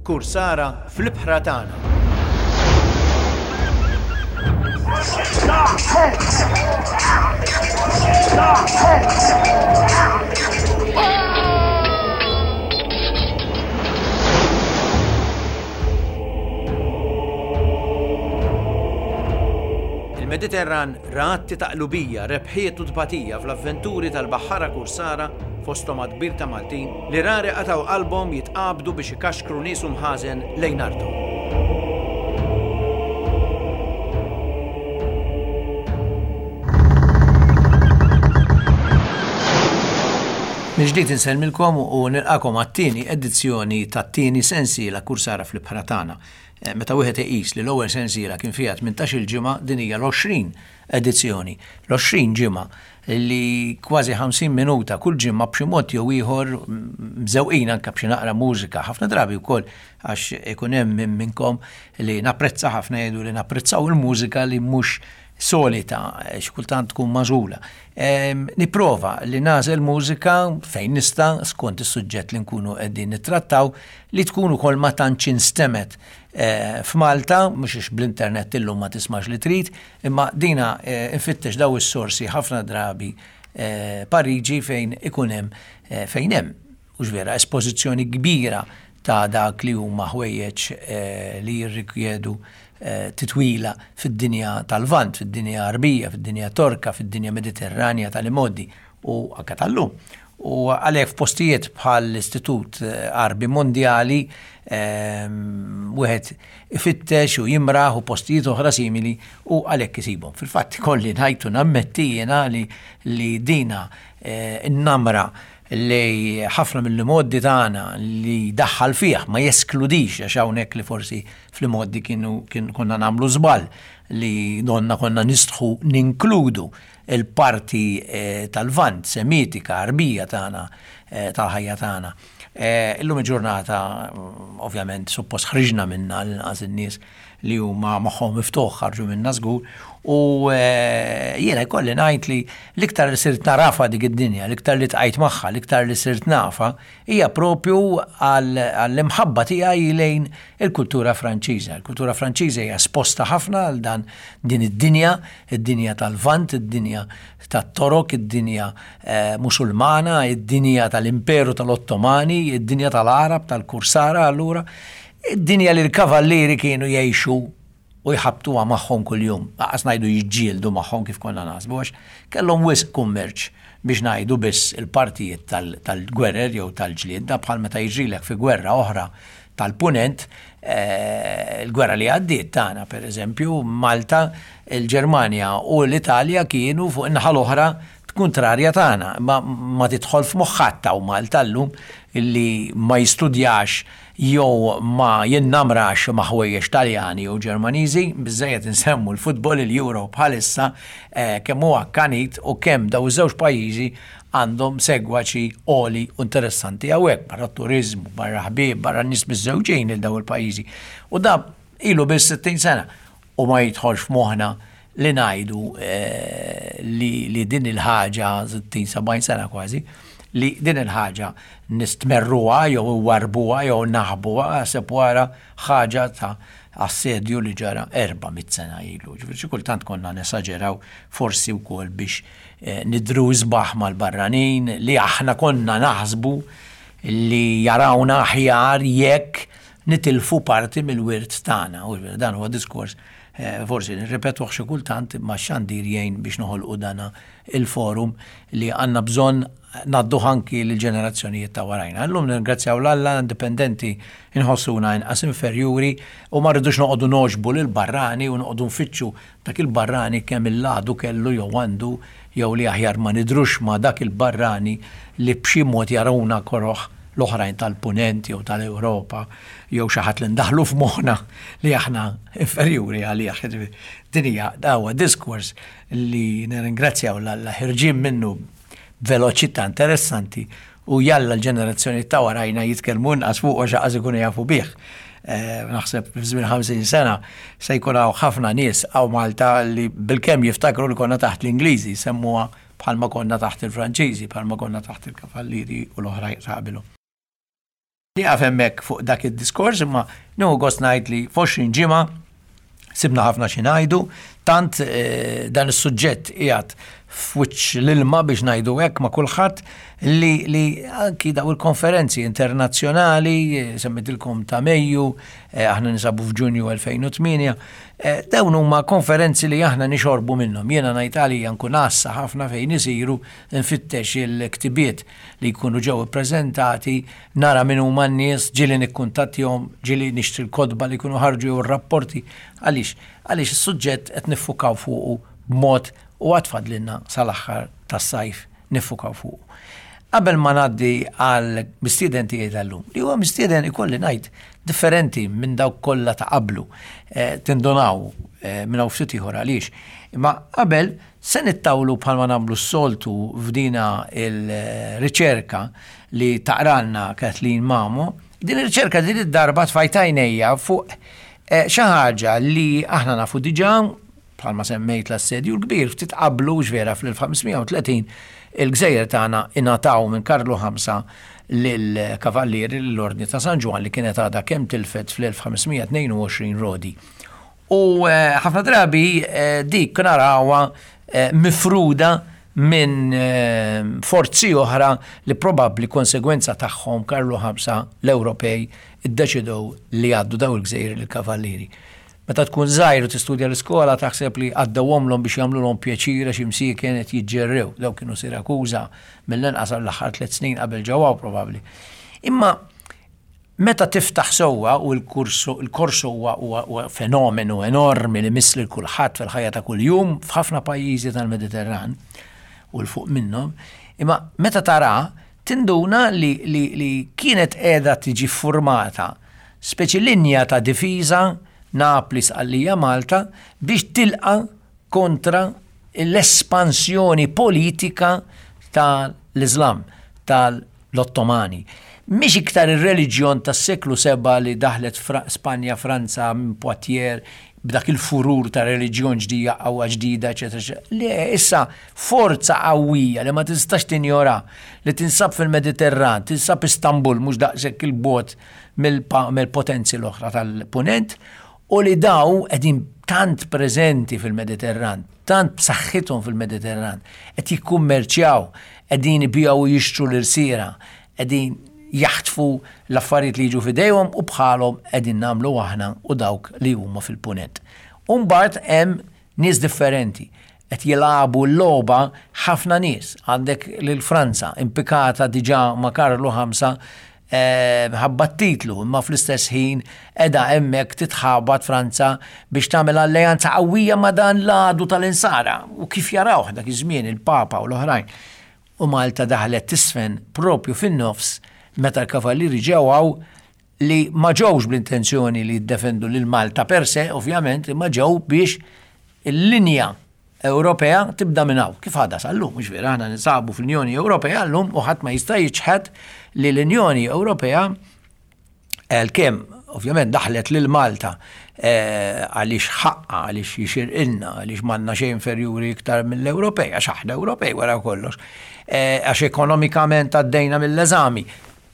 Kursara fl-ibħra tagħna. Il-Mediterran ra atti ta' qlubija, rebħiet u tbatija fl-avventuri tal-baħħara kursara fosthom għadd kbir ta' Maltin li rari qatgħu qalbhom jitqabdu biex ikaxkru nies u mħażen lejn arthom. Mill-ġdid insellmilkom u nilqakom għat-tieni edizzjoni tat-tieni sensiela Kursara fl-Ibħra Tagħna. Eh, meta wieħed iqis li l-ewwel sensiela kien fiha 18-il ġimgħa, din hija l-20 edizzjoni. L-20 ġimgħa li kważi 50 minuta kull ġimgħa b'xi mod jew ieħor mżewqin anke b'xi naqra mużika, ħafna drabi wkoll għax ikun hemm min minnkom li napprezza ħafna jgħidu li napprezzaw il-mużika li mhux solita, xi kultant tkun magħżula. Nipprova li nagħżel mużika fejn nista' skont is-suġġett li nkunu qegħdin nittrattaw li tkun ukoll ma tantx instemet eh, f'Malta, mhux għax bl-internet illum ma tismax li trid, imma dina eh, infittex daw is-sorsi ħafna drabi eh, Pariġi fejn ikun hemm fejn hemm hux vera espożizzjoni kbira ta' dak li huma ħwejjeġ li jirrikjedu titwila fid-dinja tal-Lvant, fid-dinja Għarbija, fid-dinja Torka, fid-dinja Mediterranja tal-imgħoddi u anke tal-lum. U għalhekk f'postijiet bħal l-Istitut Għarbi Mondjali wieħed ifittex u jimraħ u postijiet oħra simili u għalhekk isibhom. Fil-fatt ikolli ngħid u nammetti jiena li li dina n-namra li ħafna mill-imgħoddi tagħna li daħħal fih ma jeskludix għax hawnhekk li forsi fl-imgħoddi kienu konna nagħmlu żball li donna konna nistħu ninkludu il-parti tal-Lvant, Semitika, Għarbija tagħna, tal-ħajja tagħna. Illum il-ġurnata, ovvjament, suppost ħriġna minnha l-inqas in-nies li huma moħħhom miftuħ ħarġu minnha żgur, u jiena jkolli ngħid li l-iktar li sirt nagħrafha dik id-dinja, l-iktar li tqajt magħha, l-iktar li sirt nafha, hija propju għall-imħabba tiegħi lejn il-kultura Franċiża. Il-kultura Franċiża hija esposta ħafna għal dan din id-dinja, id-dinja tal-Lvant, id-dinja tat-Torok, id-dinja eh, Musulmana, id-dinja tal-Imperu tal-Ottomani, id-dinja tal-Għarab, tal-Kursara, allura, id-dinja li l-kavallieri kienu jgħixu u jħabbtuha magħhom kuljum, lanqas ngħidu jiġġieldu magħhom kif konna naħsbu għax kellhom wisq kummerċ biex ngħidu biss il-partijiet tal-gwerer jew tal-ġlied, da bħal meta jiġrilek fi gwerra oħra tal-Punent, eh, il-gwerra li għaddiet tagħna pereżempju, Malta, il-Ġermanja u l-Italja kienu fuq in-naħa l-oħra kontrarja tagħna, ma, ma tidħol f'moħħ ħadd hawn Malta llum illi ma jistudjax jew ma jinnamrax ma' ħwejjeġ Taljani jew Ġermaniżi, biżżejjed insemmu l-futbol, il-Euro bħalissa, kemm hu akkanit u kemm dawn iż-żewġ pajjiżi għandhom segwaċi għoli u interessanti hawnhekk, barra t-turiżmu, barra ħbieb, barra n-nies miżżewġin lil dawn il-pajjiżi. U da ilu biss 60 sena u ma jidħolx f'moħħna li ngħidu eh, li, li din il-ħaġa 60-70 sena kważi, li din il-ħaġa nistmerruha jew warbuha jew naħbuha għaseb wara ħaġa ta' assedju li ġara 400 sena ilu. Ġifieri xi kultant konna nesaġeraw forsi wkoll biex eh, nidru isbaħ mal-barranin li aħna konna naħsbu li jarawna aħjar jekk nitilfu parti mill-wirt tagħna. U dan huwa diskors eh, forsi nirripetuh xi kultant imma x-xandir jgħin biex noħolqu dana il-forum li għandna bżonn ngħadduh anki lill-ġenerazzjonijiet ta' warajna. Illum nirringrazzjaw 'l Alla indipendenti nħossuna inqas inferjuri u ma rridux noqogħdu nogħġbu lill-barrani u noqogħdu nfittxu dak il-barrani kemm il-għadu kellu jew għandu jew li aħjar ma nidhrux ma' dak il-barrani li b'xi mod jarawna koroh l-oħrajn tal-Punent jew tal-Ewropa jew xi ħadd li ndaħħlu f'moħħna li aħna inferjuri għalih. Din hija huwa diskors li nirringrazzjaw 'l Alla ħirġin minnu b'veloċità interessanti u jalla l-ġenerazzjoni ta' warajna jitkellmu inqas fuq għax qas ikunu jafu bih. Eh, naħseb f'żmien 50 sena se jkun hawn ħafna nies hawn Malta li bilkemm jiftakru li konna taħt l-Ingliżi, semmuha bħalma konna taħt il-Franċiżi, bħalma konna taħt il-Kavallieri u l-oħrajn ta' qabilhom. Nieqaf hemmhekk fuq dak id-diskors imma nieħu gost ngħid li f'20 ġimgħa sibna ħafna xi ngħidu, tant eh, dan is-suġġett qiegħed f'wiċċ l-ilma biex ngħidu hekk ma' kulħadd li, li anki daw il-konferenzi internazzjonali, eh, semmitilkom ta' Mejju, eh, aħna nisabu f'Ġunju 2008, dawn huma konferenzi li aħna nixorbu minnhom. Jiena ngħid għalija nkun għassa ħafna fejn isiru nfittex il-ktibiet li jkunu ġew ippreżentati, nara min huma n-nies, ġieli nikkuntattjahom, ġieli nixtri l-kotba li jkunu ħarġu jew ir-rapporti. Għaliex? Għaliex is-suġġett qed niffukaw fuqu b'mod u għad fadlilna sal-aħħar tas-sajf niffukaw fuqu. Qabel ma ngħaddi għal mistieden tiegħi tal-lum, li huwa mistieden ikolli ngħid differenti minn dawk kollha ta' qablu, eh, tindunaw eh, minn hawn ftit ieħor għaliex. Imma qabel Se nittawlu bħalma nagħmlu s-soltu f'dina il-riċerka li taqralna Kathleen Mamo. Din ir-riċerka din id-darba tfajt għajnejja fuq eh, xi ħaġa li aħna nafu diġà bħalma semmejt l-assedju l-kbir ftit qablu vera fl-1530 il-gżejjer tagħna ingħataw minn Karlu V lill-Kavallieri lill-Ordni ta' San Ġwann li kienet għadha kemm tilfet fl-1522 Rodi. U eh, ħafna drabi eh, dik narawha eh, mifruda minn forzi oħra li probabbli konsegwenza tagħhom Karlu Ħamsa l-Ewropej iddeċidew li għaddu daw il-gżejjer lill-kavallieri. Meta tkun żgħir u tistudja l-iskola taħseb li għaddewhomlhom biex jagħmlulhom pjaċir għax imsieken qed jiġġerrew. Daw kienu Sirakuża mill-inqas għall-aħħar tliet snin qabel ġewwa probabbli. Imma Meta tiftaħ sewwa, u l-korso huwa fenomenu enormi li miss lil kulħadd fil-ħajja ta' kuljum f'ħafna pajjiżi tal-Mediterran u 'l fuq minnhom, imma meta tara tinduna li, li, li kienet qiegħda tiġi ffurmata speċi linja ta' difiża Napli, Sqallija, Malta biex tilqa' kontra l-espansjoni politika tal-Iżlam, tal l-Ottomani. Mhix iktar ir-reliġjon tas-seklu sebgħa li daħlet Spanja, Franza, minn Poitiers, b'dak il-furur ta' reliġjon ġdija, qawwa ġdida, eċetera, eċetera. Le, issa forza qawwija li ma tistax tinjora, li tinsab fil-Mediterran, tinsab Istanbul, mhux daqshekk 'il bogħod mill-potenzi l-oħra tal-Punent, u li daw qegħdin tant preżenti fil-Mediterran, tant b'saħħithom fil-Mediterran, qed jikkummerċjaw, qegħdin ibigħu u jixtru l-irsiera, qegħdin jaħtfu l-affarijiet li jiġu f'idejhom u bħalhom qegħdin nagħmlu aħna u dawk li huma fil-Punent. U mbagħad hemm nies differenti, qed jilagħbu l-logħba ħafna nies. Għandek lil Franza impikata diġà ma' Karlu Ħamsa eh, ħabba t-titlu, imma fl-istess ħin qiegħda hemmhekk titħabat Franza biex tagħmel alleanza qawwija ma' dan l-għadu tal-insara u kif jarawh dak iż-żmien il-Papa u l-oħrajn. U Malta daħlet tisfen propju fin-nofs meta l-kavallieri ġew hawn li ma ġewx bl-intenzjoni li jiddefendu lil Malta per se, ovvjament, imma ġew biex il-linja Ewropea tibda minn hawn. Kif għadha sal-lum, mhux vera, aħna ninsabu fl-Unjoni Ewropea llum u ħadd ma jista' jiċħed li l-Unjoni Ewropea għalkemm ovvjament daħlet lil Malta eh, għaliex ħaqqa, għaliex jixirqilna, għaliex m'għandna xejn inferjuri iktar mill-Ewropej, għax aħna Ewropej wara kollox, eh, għax ekonomikament għaddejna mill-eżami.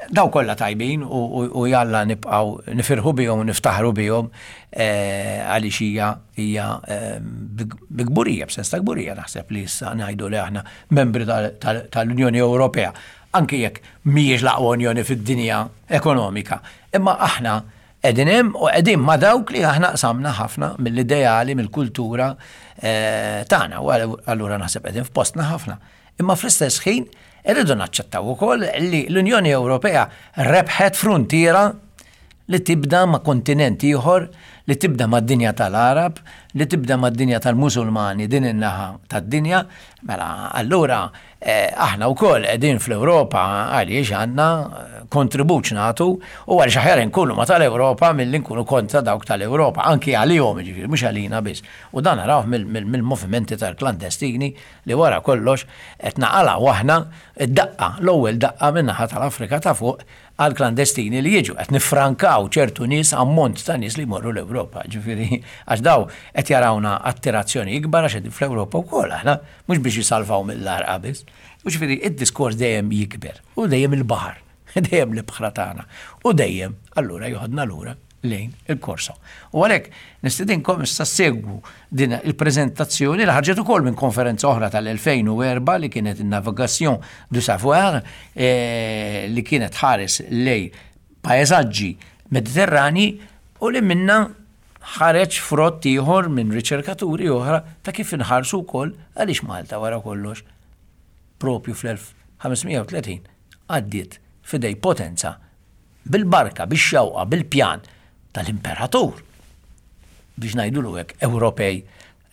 Daw kollha tajbin u jalla nibqgħu nifirħu bihom u niftaħru bihom eh, għaliex hija hija eh, bi kburija, b'sens ta' kburija naħseb li issa ngħidu li aħna membri tal-Unjoni Ewropea, anki jekk mhijiex l-aqwa unjoni fid-dinja ekonomika. Imma aħna qegħdin hemm u qegħdin ma' dawk li aħna qsamna ħafna mill-ideali, mill-kultura eh, tagħna u allura naħseb qegħdin f'postna ħafna. Imma fl-istess ħin irridu naċċettaw ukoll li l-Unjoni Ewropea rebħet fruntiera li tibda ma' kontinent ieħor, li tibda mad-dinja tal-Għarab, li tibda mad-dinja tal-Musulmani din in-naħa tad-dinja, mela allura eh, aħna wkoll qegħdin fl-Ewropa għaliex għandna kontribut nagħtu u għaliex aħjar inkunu ma tal-Ewropa milli nkunu kontra dawk tal-Ewropa, anki għalihom jiġifieri mhux għalina biss. U dan narawh mill-movimenti tal-klandestini li wara kollox qed naqalgħu aħna d-daqqa, l-ewwel daqqa min-naħa tal-Afrika ta' fuq għall-klandestini li jiġu, qed niffrankaw ċertu nies, ammont ta' nies li jmorru l-Ewropa, ġifieri għax daw qed jarawna attirazzjoni ikbar għax qegħdin fl-Ewropa wkoll aħna, mhux biex jisalvaw mill-għarqa biss. U ġifieri id-diskors dejjem jikber u dejjem il-baħar. Dejjem l-ibħra tagħna. U dejjem allura joħodna lura lejn il-korso. U għalhekk nistedinkom issa segwu din il-preżentazzjoni li ħarġet ukoll minn konferenza oħra tal-2004 li kienet in-Navigation du Savoir eh, li kienet ħares lej paesaġġi Mediterrani u li minna ħareġ frott ieħor minn riċerkaturi oħra ta' kif inħarsu wkoll għaliex Malta wara kollox propju fl-1530 għaddiet f'idej potenza bil-barka, bix-xewqa, bil-pjan tal-imperatur, biex ngħidulu hekk, Ewropej,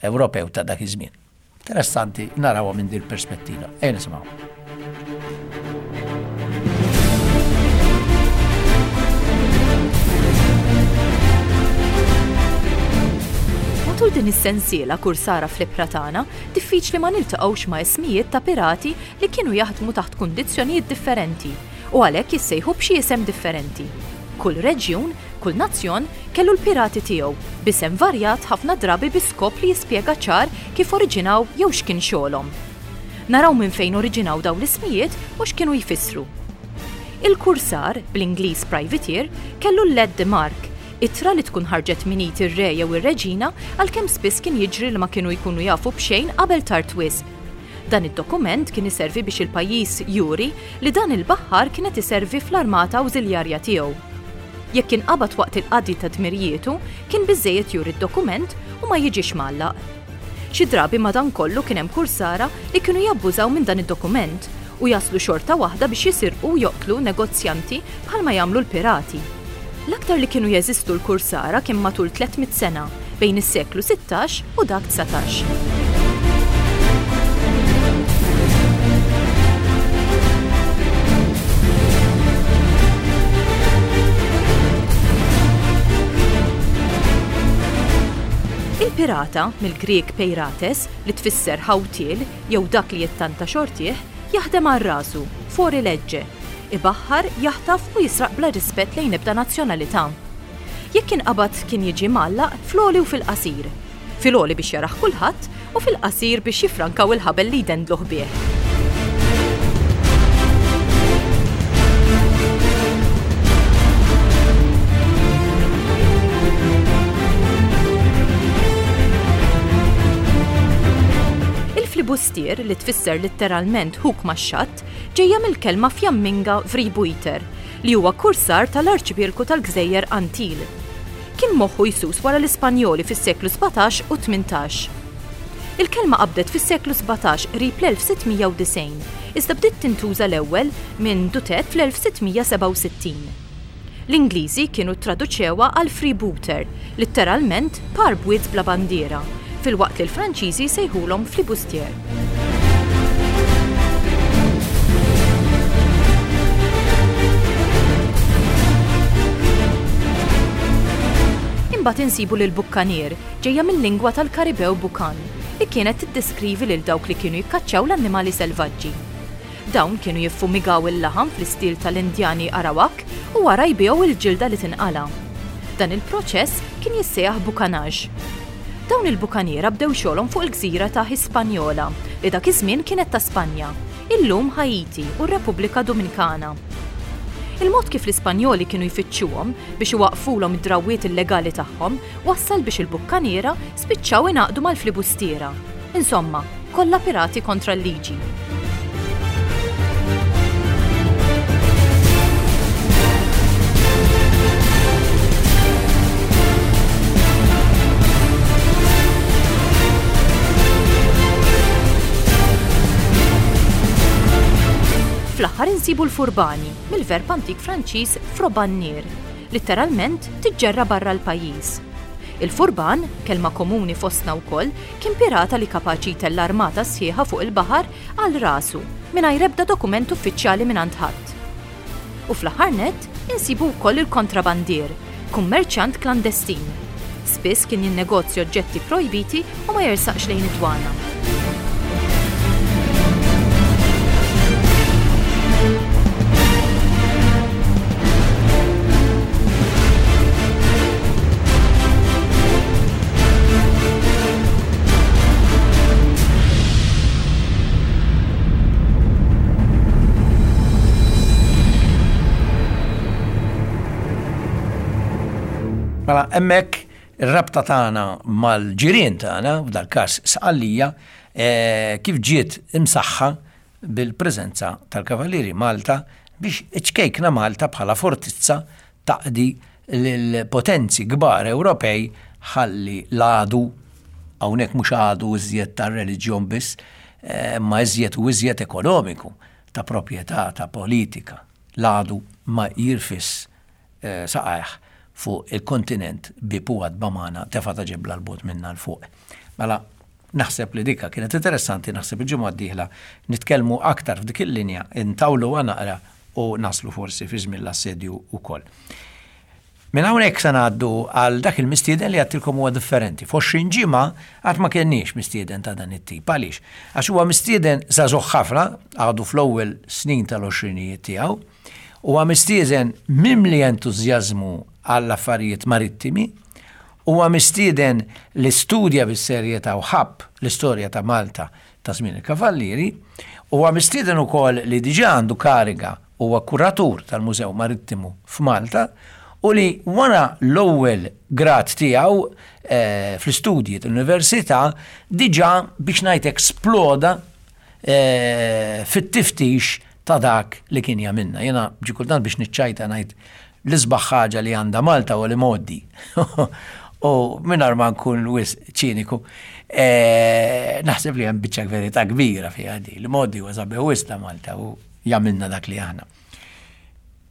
Ewropew ta' dak iż-żmien. Interessanti narawha minn din perspettiva. Ejja nisimgħu. Matul din is-sensiela kursara fl-ibħra tagħna, diffiċli ma niltaqgħux ma' ismijiet ta' pirati li kienu jaħdmu taħt kundizzjonijiet differenti u għalhekk jissejħu b'xi isem differenti. Kull reġjun, kull nazzjon, kellu l-pirati tiegħu, b'isem varjat ħafna drabi bi skop li jispjega ċar kif oriġinaw jew x'kien xogħolhom. Naraw minn fejn oriġinaw dawn l-ismijiet u x'kienu jfissru. Il-kursar, bl-Ingliż privateer, kellu l-lettre de marque, ittra li tkun ħarġet minn id ir-re jew ir-reġina għalkemm spiss kien jiġri li ma kienu jkunu jafu b'xejn qabel tard wisq. Dan id-dokument kien iservi biex il-pajjiż juri li dan il-baħħar kien qed iservi fl-armata awżiljarja tiegħu. Jekk inqabad waqt il-qadi ta' dmirijietu, kien biżżejjed juri d-dokument u ma jiġix mgħallaq. Xi drabi madankollu kien hemm kursara li kienu jabbużaw minn dan id-dokument u jaslu xorta waħda biex jisirqu u joqtlu negozjanti bħalma jagħmlu l-pirati. L-aktar li kienu jeżistu l-kursara kien matul 300 sena, bejn is-seklu 16 u dak 19. Il-pirata, mill-Grieg peirates, li tfisser ħawtiel jew dak li jittanta xortih, jaħdem għal rasu, fuori legge, Ibaħħar, jaħtaf u jisraq bla rispett lejn ebda nazzjonalità. Jekk inqabad kien jiġi mgħallaq fl-għoli u fil-qasir. Fil-għoli biex jarah kulħadd u fil-qasir biex jiffrankaw il-ħabel li jdendluh bih. Il-flibustier, li tfisser litteralment ħuk max-xatt, ġejja mill-kelma Fjamminga vrijbuiter, li huwa kursar tal-Arċipelku tal-Gżejjer Antil. Kien moħħu jsus wara l-Ispanjoli fis-seklu 17 u 18. Il-kelma qabdet fis-seklu 17 qrib l-1690, iżda bdiet tintuża l-ewwel minn Dutet fl-1667. L-Ingliżi kienu ttraduċewha għal freebooter, litteralment par bwiet bla bandiera, filwaqt li l-Franċiżi jsejħulhom flibustier. Imbagħad insibu lil bukkanier, ġejja mil-lingwa tal-Karibew bukan, li kienet tiddeskrivi lil dawk li kienu jikkaċċaw l-annimali selvaġġi. Dawn kienu jiffumigaw il-laħam fl-istil tal-Indjani Arawak u wara jbigħu l-ġilda li tinqala'. Dan il-proċess kien jissejjaħ bukanage. Dawn il-bukaniera bdew xogħolhom fuq il-gżira ta' Hispaniola, li dak iż-żmien kienet ta' Spanja, illum Ħaiti u r-Repubblika Dominikana. Il-mod kif l-Ispanjoli kienu jfittxuhom biex iwaqqfulhom id-drawwiet illegali tagħhom wassal biex il-bukkaniera spiċċaw ingħaqdu mal-flibustiera. Insomma, kollha pirati kontra l-liġi. Fl-aħħar insibu l-furbani, mill-verb antik Franċiż frobannier, litteralment tiġġerra barra l-pajjiż. Il-furban, kelma komuni fostna wkoll, kien pirata li kapaċi jtella' armata sħiħa fuq il-baħar għal rasu, mingħajr ebda dokument uffiċjali mingħand ħadd. U fl-aħħar nett, insibu wkoll il-kontrabandier, kummerċjant klandestin. Spiss kien jinnegozja oġġetti projbiti u ma jersaqx lejn id-dwana. Mela hemmhekk ir-rabta tagħna mal-ġirien tagħna, f'dal-każ Sqallija, eh, kif ġiet imsaħħa bil-preżenza tal-Kavallieri Malta biex iċ-ċkejkna Malta bħala fortizza taqdi lill-potenzi kbar Ewropej ħalli l-għadu, hawnhekk mhux għadu iżjed tar-reliġjon biss, eh, imma iżjed u iżjed ekonomiku, ta' proprjetà, ta' politika, l-għadu ma jirfisx eh, saqajh fuq il-kontinent bieb u għatba magħna tefa' ta' ġebla 'l bogħod minna 'l fuq. Mela, naħseb li dika kienet interessanti, naħseb il-ġimgħa d-dieħla nitkellmu aktar f'dik il-linja, intawluha naqra u naslu forsi fi żmien l-assedju wkoll. Minn hawnhekk se ngħaddu għal dak il-mistieden li għadtilkom huwa differenti. F'20 ġimgħa qatt ma kenniex mistieden ta' dan it-tip. Għaliex? Għax huwa mistieden żagħżugħ ħafna, għadu fl-ewwel snin tal-għoxrinijiet tiegħu, huwa mistieden mimli entużjażmu għall-affarijiet marittimi, huwa mistieden li studja bis-serjetà u ħabb l-istorja ta' Malta ta' żmien il-Kavallieri, huwa mistieden ukoll li diġà għandu kariga huwa kuratur tal-Mużew Marittimu f'Malta u li wara l-ewwel grad tiegħu eh, fl-istudji tal-università diġà biex ngħid hekk sploda eh, fit-tiftix ta' dak li kien jagħmilna. Jiena ġi kultant biex niċċajta ngħid l-isbaħ ħaġa li għandha Malta huwa l-imgħoddi. U mingħajr ma nkun wisq ċiniku, eh, naħseb li hemm biċċa verità kbira fiha di. L-imgħoddi huwa sabiħ wisq ta' Malta u jagħmilna dak li aħna.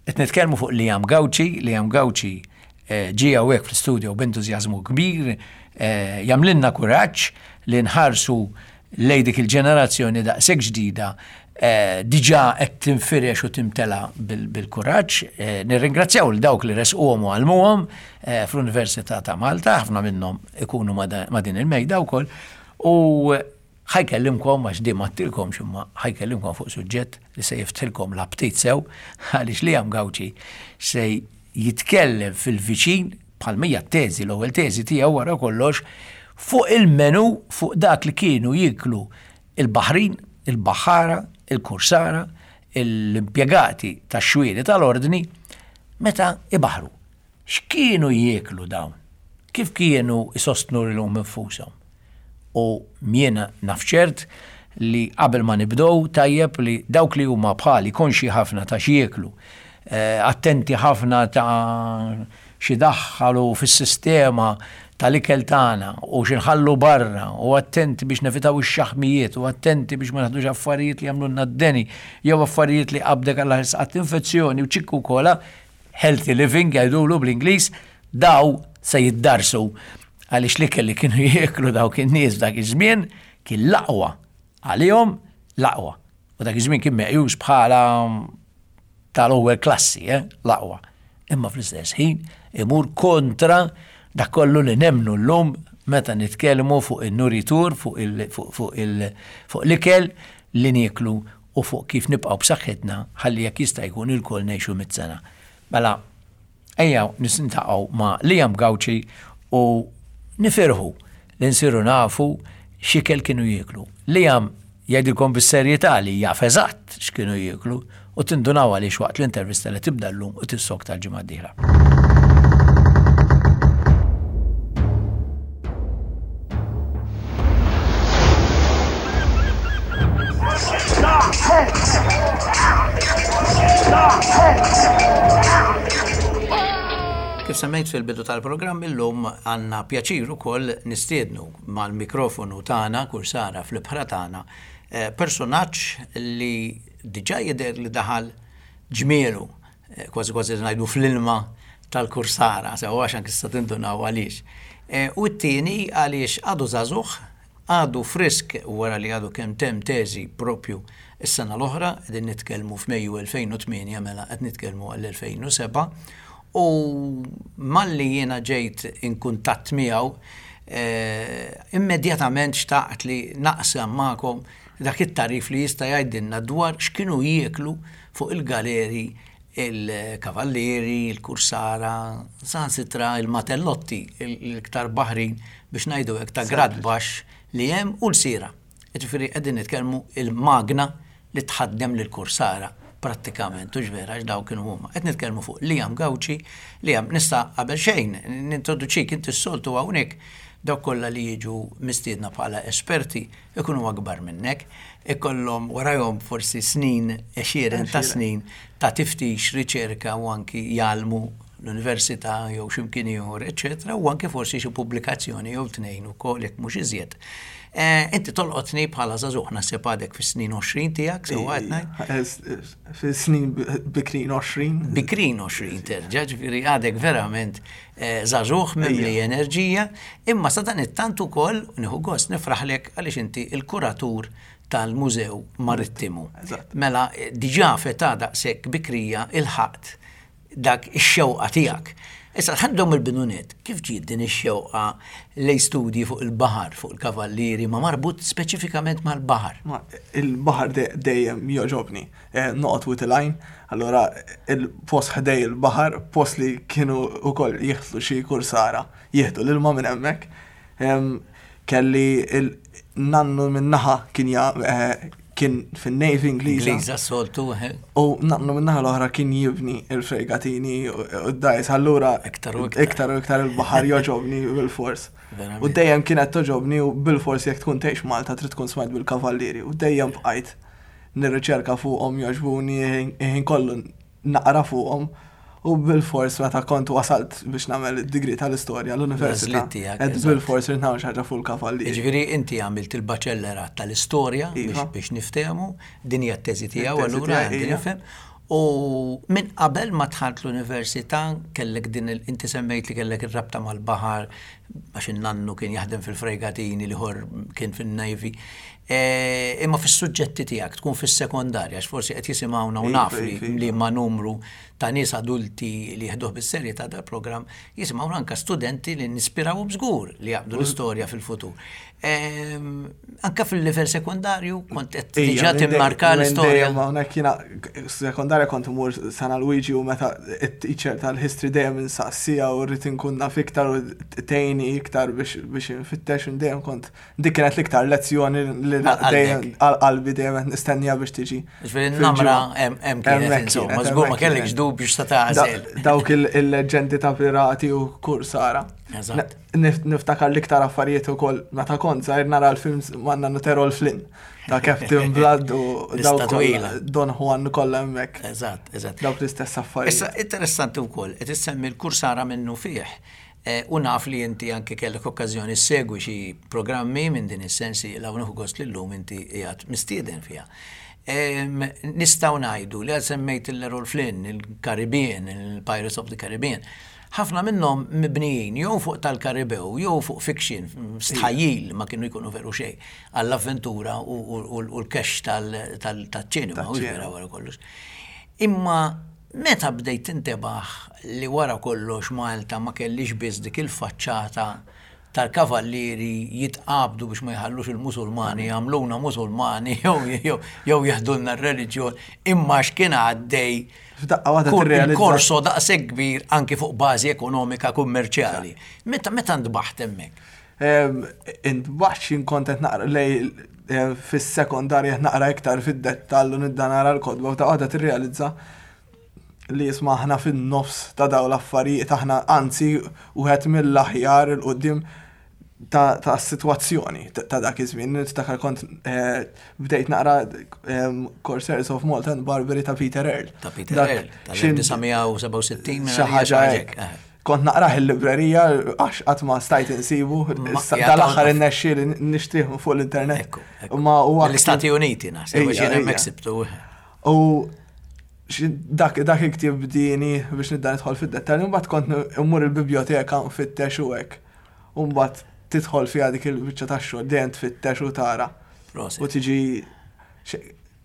Qed nitkellmu fuq Liam Gauci, Liam Gauci eh, ġie hawnhekk fl-istudio b'entużjażmu kbir, eh, jagħmlilna kuraġġ li nħarsu lejn dik il-ġenerazzjoni daqshekk ġdida eh, diġà qed tinfirex u timtela bil-kuraġġ. Nirringrazzjaw lil dawk li resquhom u għallmuhom fl-Università ta' Malta, ħafna minnhom ikunu ma' din il-mejda wkoll. U Ħa jkellimkom, għax di m'għedtilkomx imma ħa jkellimkom fuq suġġett li se jiftħilkom l-aptit sew, għaliex Liam Gauci se jitkellem fil-viċin, bħalma hija t-teżi, l-ewwel teżi tiegħu wara kollox, fuq il-menu, fuq dak li kienu jieklu il-baħrin, il-baħħara, il-kursara, l-impjegati tax-xwieni tal-Ordni meta ibaħħru. X'kienu jieklu dawn? Kif kienu jsostnu lilhom infushom? U jiena naf ċert li qabel ma nibdew tajjeb li dawk li huma bħali konxji ħafna ta' x'jieklu, attenti ħafna ta' x'idaħħalu fis-sistema tal-ikel tagħna u x'inħallu barra u attenti biex nevitaw ix-xaħmijiet u attenti biex ma naħdux affarijiet li jagħmlulna d-deni jew affarijiet li qabdek għal ħadd infezzjoni u ċikku kola, healthy living jgħidulu bl-Ingliż, daw se jiddarsu għaliex l-ikel li kienu jieklu dawk in-nies f'dak iż-żmien kien l-aqwa għalihom l-aqwa. U dak iż-żmien kien meqjus bħala tal-ewwel klassi, eh, l-aqwa. Imma fl-istess ħin imur kontra dak kollu li nemnu llum meta nitkellmu fuq in-nuritur, fuq l-ikel li nieklu u fuq kif nibqgħu b'saħħitna ħalli jekk jista' jkun ilkoll ngħixu mitt sena. Mela, ejja niltaqgħu ma' Liam Gauci u nifirħu li nsiru nafu x'ikel kienu jieklu. Liam jgħidilkom bis-serjetà li jaf eżatt x'kienu jieklu u tindunaw għaliex waqt l-intervista li tibda llum u tissokta l-ġimgħa d-dieħla. Kif semmejt fil-bidu tal-programm illum għandna pjaċir ukoll nistiednu mal-mikrofonu tagħna kursara fl-ibħra tagħna eh, personaġġ li diġà jidher li daħal ġmielu eh, kważi kważi ngħidu fl-ilma tal-kursara, sew għax anki tista' tindunaw għaliex. Eh, u t-tieni għaliex għadu żagħżugħ, għadu frisk wara li għadu kemm temm teżi propju s-sena l-oħra, qegħdin nitkellmu f'Mejju 2008 mela qed nitkellmu għall-2007, u malli jiena ġejt in kuntatt miegħu, eh, immedjatament xtaqt li naqsam magħkom dak it-tagħrif li jista' jgħidilna dwar x'kienu jieklu fuq il-galeri il-kavallieri, il-kursara, saħansitra il-matellotti, l-iktar baħrin biex ngħidu hekk ta' grad baxx li hemm u l-sira. Jiġifieri qegħdin nitkellmu il-magna li tħaddem lill-kursara. prattikament, hux vera, għax dawk kienu huma. Qed nitkellmu fuq Liam Gauci, Liam, nista' qabel xejn nintroduċik inti s-soltu hawnhekk dawk kollha li jiġu mistiedna bħala esperti ikunu akbar minnek, ikollhom warajhom forsi snin, għexieren ta' snin ta' tiftix, riċerka u anki jgħallmu l-università jew xi mkien ieħor, eċċetera, u anki forsi xi pubblikazzjoni jew tnejn ukoll jekk mhux iżjed. Eh, inti tolqotni bħala żagħżugħ naħseb għadek fis-snin 20 tiegħek, sewwa qed ngħid? Eh, fis-snin bikrin 20. Bikrin 20 terġa', ġifieri għadek verament eh, żagħżugħ mimli enerġija, imma sa dan it-tant ukoll nieħu gost nifraħlek għaliex inti il-kuratur tal-Mużew Marittimu. Mela diġà fetà daqshekk bikrija il-ħaqt dak ix-xewqa tiegħek. Issa ħa nibdew mill-bidu nett, kif ġiet din ix-xewqa lejn studji fuq il-baħar, fuq il-kavallieri, ma marbut speċifikament mal-baħar? Il-baħar dejjem jogħġobni. Eh, noqgħod Wied il-Għajn, allura il-post ħdej il-baħar, post li kienu wkoll jieħdu xi kursara, jieħdu l-ilma minn hemmhekk. Kelli il-nannu minn naħa kien eh, kien fin-Navy Ingliża. Ingliża soltu. Eh. U nannu minn naħa l-oħra kien jibni il-fregatini u d-dajs, allura iktar u iktar. Iktar u iktar il-baħar joġobni bil-fors. U dejjem kienet toġobni u bil-fors jekk tkun tgħix Malta trid tkun smajt bil-kavallieri u dejjem bqajt nirriċerka fuqhom jogħġbuni ħin kollu naqra fuqhom u bil-fors meta kont wasalt biex nagħmel id-degree tal-istorja l-università. Qed bil-fors irid nagħmel xi ħaġa fuq il-kavallieri. Jiġifieri inti għamilt il-baċellerat tal-istorja iva. biex niftehmu, din hija t-teżi tiegħu allura għandi nifhem. U minn qabel ma dħalt l-università kellek din inti semmejt li kellek ir-rabta mal-baħar għax in-nannu kien jaħdem fil-fregatini l-ieħor kien fin-Navy. E, imma fis-suġġetti tiegħek tkun fis-sekondarja, għax forsi qed jisimgħuna u naf li ma numru ta' nies adulti li jieħduh bis-serjetà dal-programm jisimgħuna anke studenti li nispirawhom żgur li jaqbdu l-istorja fil-futur. Anka fil-livell sekundarju kont qed diġà timmarka l-istorja. Hawnhekk jiena sekondarja kont imur San Luigi u meta it-teacher tal-history dejjem insaqsija u rrid inkun naf iktar u tgħinni iktar biex infittex u dejjem kont Dik kienet l-iktar lezzjoni li dejjem għal qalbi dejjem qed nistennija biex tiġi. Ġifieri n-namra hemm kienet insomma, żgur ma kellekx dubju x'ta tagħżel. Dawk il-leġendi ta' pirati u kursara. Niftakar l-iktar affarijiet ukoll meta kont żgħir nara l-films ma' nannu Terol Flynn ta' Captain Blood u dawk Don Juan kollha hemmhekk. Eżatt, eżatt. Dawk l-istess affarijiet. Issa interessanti wkoll qed issemmi l-kursara minnu fih. U naf li inti anke kellek okkażjoni ssegwi xi programmi minn din is-sensiela u nieħu gost li llum inti qiegħed mistieden fiha. Nistgħu ngħidu li għal semmejt il-Errol Flynn, il-Caribbean, il-Pirates of the Caribbean, ħafna minnhom mibnijin jew fuq tal-Karibew jew fuq fiction, stħajjil ma kienu jkunu veru xejn għall-avventura u l-cash tal-ċinema, u vera wara kollox. Imma Meta bdejt tintebaħ li wara kollox Malta ma kellhiex biss dik il-faċċata tal-kavallieri jitqabdu biex ma jħallux il-Musulmani jagħmluna Musulmani jew jeħdulna r-reliġjon, imma x'kien għaddej F'daqqa waħda tirrealizza. Il-korso daqshekk kbir anki fuq bażi ekonomika kummerċjali. Meta meta ntbaħt hemmhekk? Intbaħt x'in kont qed naqra lej fis-sekondarja qed naqra iktar fid-dettall u nibda nara l-kotba u f'daqqa waħda tirrealizza li isma' aħna fin-nofs ta' dawn l-affarijiet aħna anzi wieħed mill-aħjar 'il quddiem ta' sitwazzjoni ta' dak iż-żmien. Niftakar kont eh, bdejt naqra Corsairs of Malta and Barbary ta' Peter Earl. Ta' Peter Earl, tal-1967. Xi ħaġa hekk. Eh. Kont naqrah il-librerija għax qatt ma stajt insibu. Dal-aħħar innexxieli nixtrih fuq l-internet. Ma huwa l-Istati Uniti naħseb għax jien hemmhekk sibtu. U dak dak il-ktieb bdieni biex nibda nidħol fid-dettalji, mbagħad kont immur il-biblioteka nfittex u hekk. U mbagħad tidħol fiha dik il-biċċa tax-xogħol dejjem tfittex u tara. U tiġi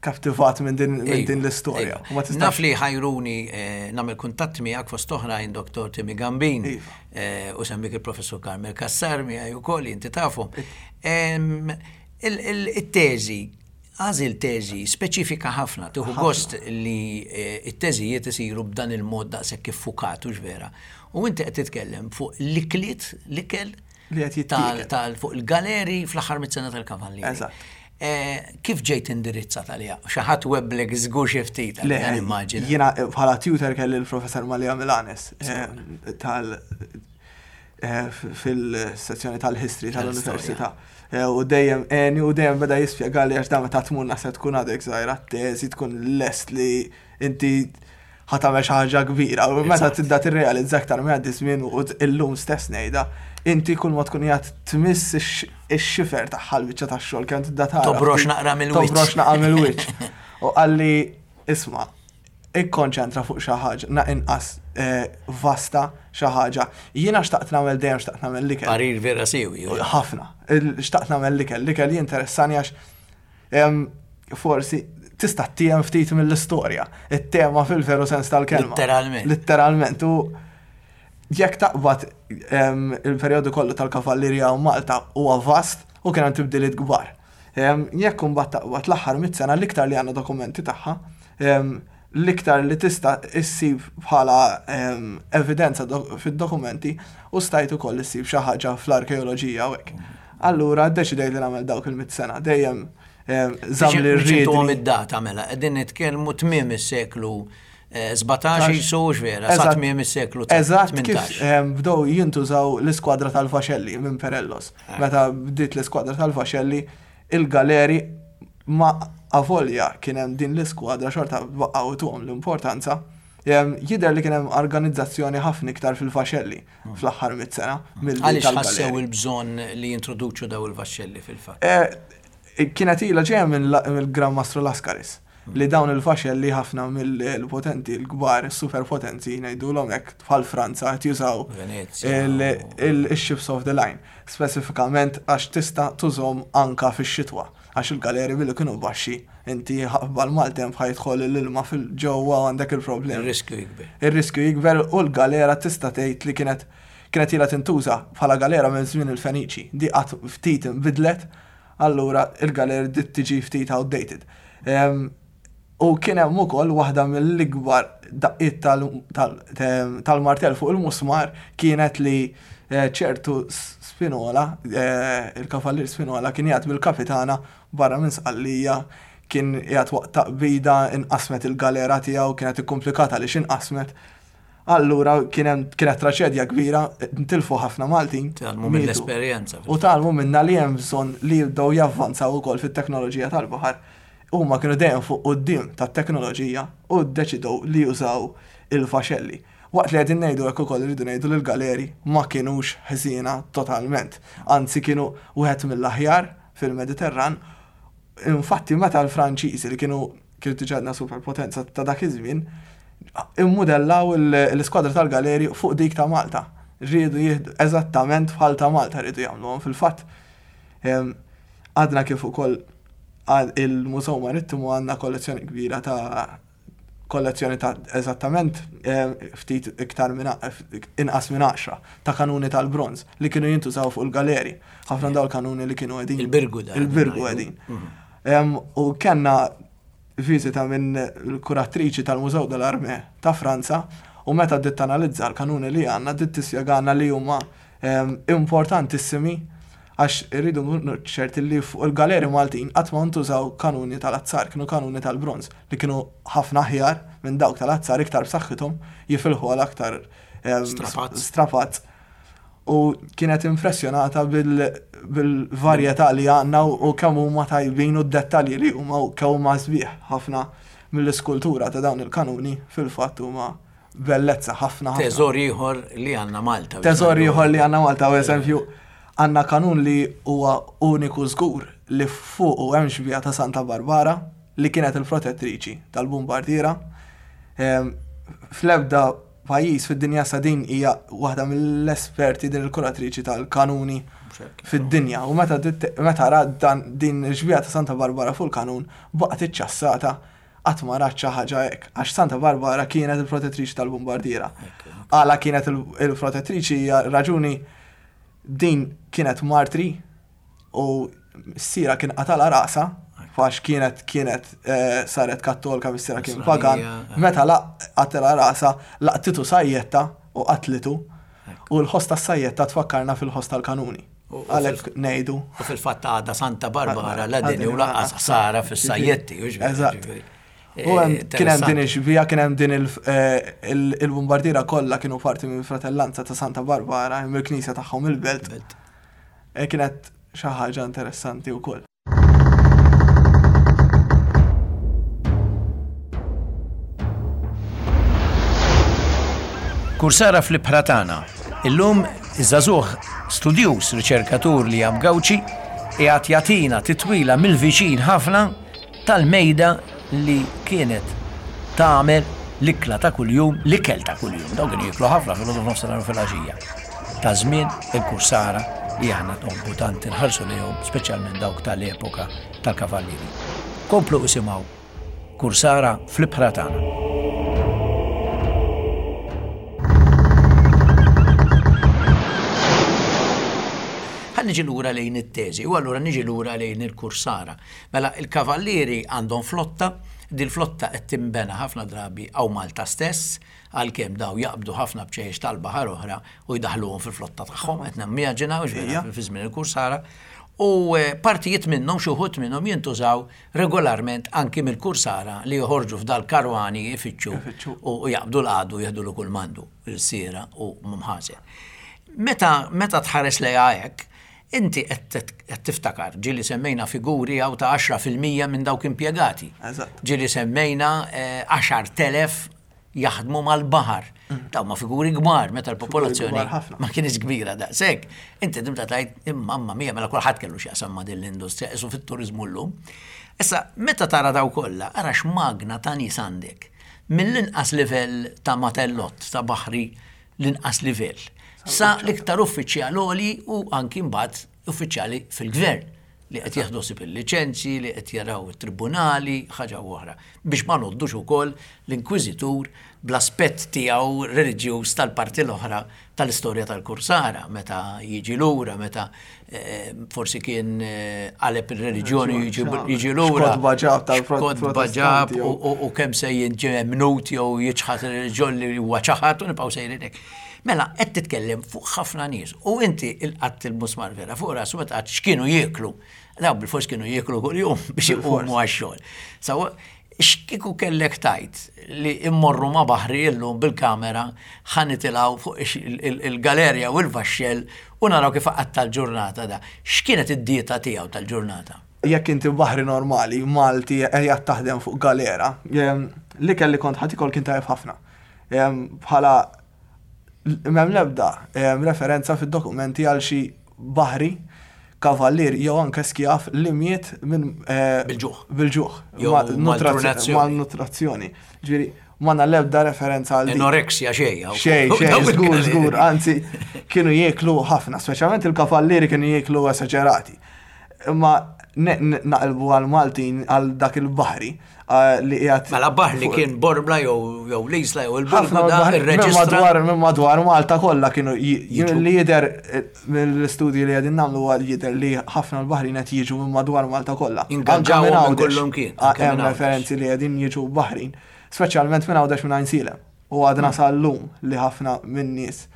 kaptivat minn din l-istorja. Naf li ħajruni eh, nagħmel kuntatt miegħek fost oħrajn Dr. Timmy Gambin iva. eh, u semmik il-Professur Carmel Cassar miegħi wkoll inti tafhom. Il-teżi għażil teżi speċifika ħafna, tieħu gost li eh, it-teżijiet isiru b'dan il-mod daqshekk iffukat u vera. U inti qed titkellem fuq l-ikliet, l-ikel li qed fuq il-galeri fl-aħħar mit-sena tal-kavallieri. Eżatt. Eh, kif ġejt indirizzat għaliha? Xi ħadd weblek żgur xi ftit għaliha nimmaġina. Jiena eh, bħala tutor kelli l-professor Malia Milanes eh, tal fil-sezzjoni tal-history tal-università. U dejjem eni u dejjem beda jispjega li għax dan meta tmur naħseb tkun għadek żgħira teżi tkun lest li inti ħa tagħmel xi ħaġa kbira. U meta tibda tirrealizza aktar ma jgħaddi żmien u illum stess ngħidha, inti kull ma tkun qiegħed tmiss ix-xifer tagħha l-biċċa tax-xogħol kemm tibda tara. Tobrox naqra mill-wiċċ. Tobrox naqra mill-wiċċ. U qalli isma' ikkonċentra fuq xi ħaġa, na inqas eh, vasta xi ħaġa. Jiena xtaqt nagħmel dejjem xtaqt nagħmel l-ikel. Parir vera siwi. Ħafna. Xtaqt nagħmel l-ikel. L-ikel jinteressani għax Forsi tista' tiem ftit mill-istorja, it-tema fil-veru sens tal-kelma. Litteralment. Litteralment. U jekk taqbad il-perjodu kollu tal-kavallerija u Malta huwa vast u kien hemm tibdiliet kbar. Jekk imbagħad taqbad l-aħħar mit sena l-iktar li għandna dokumenti tagħha, l-iktar li tista' issib bħala evidenza fid-dokumenti u stajt ukoll issib xi ħaġa fl-arkeoloġija u hekk. Allura ddeċidejt li nagħmel dawk il-mit sena dejjem żamm li rrid. id-data mela, qegħdin nitkellmu tmiem is-seklu 17 jisu vera, sa tmiem is-seklu 18. Eżatt kif bdew jintużaw l-iskwadra tal-Vaxelli minn Perellos. Eh. Meta bdiet l-iskwadra tal-Vaxelli, il-galeri ma avolja kien hemm din l-iskwadra xorta baqgħu tuhom l-importanza. Jidher li kien hemm organizzazzjoni ħafna iktar fil-Vaxelli hmm. fl-aħħar mit sena milli Għaliex ħassew il-bżonn li jintroduċu daw il-vaxxelli fil-fatt? Eh, kienet ilha ġejja mill-Gran Mastru Lascaris li dawn il-faxelli ħafna mill-potenti l-kbar, superpotenzi ngħidulhom hekk bħal Franza qed jużaw il-ships of the line. Speċifikament għax tista' tużhom anka fix-xitwa għax il-galeri billi kienu baxxi inti ħabba l-maltemp ħa jidħol l-ilma fil-ġewwa għandek il-problemi. Ir-riskju jikber. Ir-riskju jikber u l-galera tista' tgħid li kienet kienet ilha tintuża bħala galera minn żmien il-Feniċi. Di qatt ftit inbidlet allura il-galer bdiet tiġi ftit outdated. U kien hemm ukoll waħda mill-ikbar daqqiet tal-martell fuq il-musmar kienet li eh, ċertu Spinola, eh, il-kavallier Spinola kien jgħid bil-kapitana barra minn Sqallija kien jgħid waqt taqbida inqasmet il-galera tiegħu kienet ikkumplikata li x'inqasmet. Allura kien hemm kienet traċedja kbira, ntilfu ħafna Maltin. Tgħallmu mill-esperjenza. U tgħallmu minna li hemm bżonn li jibdew javvanzaw ukoll fit-teknoloġija tal-baħar. Huma kienu dejjem fuq quddiem tat-teknoloġija u ddeċidew li jużaw il-vaxelli. Waqt li qegħdin ngħidu hekk ukoll irridu ngħidu li l-galeri ma kinux ħżiena totalment. Anzi kienu wieħed mill-aħjar fil-Mediterran. Infatti meta l-Franċiżi li kienu kienu diġà għandna superpotenza ta' dak iż-żmien, immudellaw l-iskwadra tal-galeri fuq dik ta' Malta. Riedu jieħdu eżattament bħal ta' Malta riedu jagħmluhom. Fil-fatt għadna kif ukoll il-Mużew Marittimu għandna kollezzjoni kbira ta' kollezzjoni ta' eżattament ftit iktar minn inqas minn 10 ta' kanuni tal-bronż li kienu jintużaw fuq il-galeri. Ħafna dawn il-kanuni li kienu qegħdin. Il-birgu da. Il-birgu qegħdin. Mhm. U kellna viżita minn l-kuratriċi tal-Mużew dell-Armée ta' Franza u meta bdiet tanalizza l-kanuni li għandna bdiet tispjegana li huma importantissimi għax irridu nkunu ċerti li fuq il-galeri Maltin qatt ma ntużaw kanuni tal-azzar, kienu kanuni tal-bronż li kienu ħafna aħjar minn dawk tal-azzar iktar b'saħħithom jifilħu għal aktar strapazz. U kienet impressjonata bil-varjetà li għandna u kemm huma tajbin u d-dettalji li huma u kemm huma sbieħ ħafna mill-iskultura ta' dawn il-kanuni fil-fatt huma bellezza ħafna. Teżor ieħor li għandna Malta. Teżor ieħor li għandna Malta, u eżempju, għandna kanun li huwa uniku żgur li fuqu hemm xbieha ta' Santa Barbara li kienet il-protettriċi tal-Bombardiera. Ehm, fl-ebda pajjiż fid-dinja sa din hija waħda mill-esperti din il-kuratriċi tal-kanuni fid-dinja. U meta meta rat dan din il-xbieha ta' Santa Barbara fuq il-kanun baqgħet iċċassata qatt ma rat xi ħaġa hekk għax Santa Barbara kienet il-protettriċi tal-Bombardiera. Għala kienet il-protettriċi hija raġuni din kienet martri u missierha kien qatalha rasha għax kienet kienet eh, saret kattolka missierha kien pagan. Eh. Meta qatilha rasha laqtitu sajjetta u qatlitu u l-ħoss tas-sajjetta tfakkarna fil-ħoss tal-kanuni. Għalhekk ngħidu. U fil-fatt għadha Santa Barbara la deni u lanqas ħsara fis-sajjetti. Eżatt. U kien hemm din ix-xbieha, kien hemm din il-bombardiera kollha kienu parti mill-fratellanza ta' Santa Barbara, mill-knisja tagħhom il-belt. Kienet xi ħaġa interessanti wkoll. Kursara fl-ibħra tagħna. Illum iż-żagħżugħ studjuż riċerkatur li jam Gawċi qiegħed jagħtina titwila mill-viċin ħafna tal-mejda li kienet tagħmel l-ikla ta' kuljum, l-ikel ta' kuljum, dawn kienu jieklu ħafna filgħodu f'nofsinhar u filgħaxija. Ta' żmien il-kursara li aħna nħobbu tant inħarsu lejhom, speċjalment dawk tal-epoka tal-kavallieri. Komplu isimgħu Kursara fl-ibħra tagħna. Ħa niġi lura lejn it-teżi u allura niġi lura lejn il-kursara. Mela il-kavallieri għandhom flotta, dil-flotta qed tinbena ħafna drabi hawn Malta stess, għalkemm daw jaqbdu ħafna bċejjex tal-baħar oħra u jdaħħluhom fil-flotta tagħhom, qed nimmaġina hux vera fi żmien il-kursara, u partijiet minnhom, xi wħud minnhom jintużaw regolarment anki mill-kursara li joħorġu f'dal-karwani jfittxu u jaqbdu l-għadu u jieħdulu kull m'għandu, ilsiera u mħażen. Meta meta tħares lejha hekk, Inti qed tiftakar, ġieli semmejna figuri hawn ta' 10% minn dawk impjegati. Ġieli semmejna 10,000 jaħdmu mal-baħar. Mm. Dawn ma figuri kbar meta l-popolazzjoni ma kienx kbira daqshekk. Inti tibda tgħid imma mija mela kulħadd kellu x'jaqsam ma' din l-industrija isu fit-turiżmu llum. Issa, meta tara daw kollha, ara x'magna ta' nies għandek. Mill-inqas livell ta' matellott ta' baħri l-inqas livell, sa l-iktar uffiċjal għoli u anki mbagħad uffiċjali fil-gvern li qed jieħdu ħsieb il-liċenzji, li qed jaraw it-tribunali, ħaġa u oħra. Biex ma ngħoddux ukoll l-inkwiżitur bl-aspett tiegħu reliġjuż tal-parti l-oħra tal-istorja tal-Kursara, meta jiġi lura, meta forsi kien qaleb il-reliġjoni jiġi lura. X'kotba ġab tal-Kotba ġab u kemm se jinġi mnut jew jiċħad il-reliġjon li huwa ċaħad u nibqgħu sejrin hekk. Mela, qed titkellem fuq ħafna nies u inti il-qatt il-musmar vera fuq rasu meta qatt x'kienu jieklu. Daw bil-fors kienu jieklu kuljum biex iqumu għax-xogħol. Sawa X'kieku kellek tgħid li immorru ma' baħri illum bil-kamera ħa nitilgħu fuq il-galerja u l-vaxxell u naraw kif iqatta' l-ġurnata da. X'kienet id-dieta tiegħu tal-ġurnata? Jekk inti baħri normali, Malti, qiegħed taħdem fuq galera, l-ikel li kont ħa tiekol kien tajjeb ħafna. Bħala M'hemm l-ebda referenza fid-dokumenti għal xi baħri, kavallier jew anke skjav li miet minn Bil-ġuħ. Bil-ġuħ. Jew malnutrazzjoni. Malnutrazzjoni. Ġifieri, m'għandna l-ebda referenza għal din. Anoreksja xejn. Xejn, xejn, żgur, żgur, anzi, kienu jieklu ħafna, speċjalment il-kavallieri kienu jieklu esaġerati. Imma naqilbu għall-Maltin għal dak il-baħri, li qiegħed. Mela baħar li kien Bormla jew jew l-Isla jew il-Ħafna irreġistra. Minn madwar Malta kollha kienu li jidher eh, mill-istudji li qegħdin nagħmlu huwa jidher li ħafna l-baħrin qed jiġu minn madwar Malta kollha. Ingaġġaw minn kollhom kien. Ah, hemm referenzi li qegħdin jiġu baħrin, speċjalment minn Għawdex minn Għajnsielem. U għadna mm. sal-lum li ħafna minn nies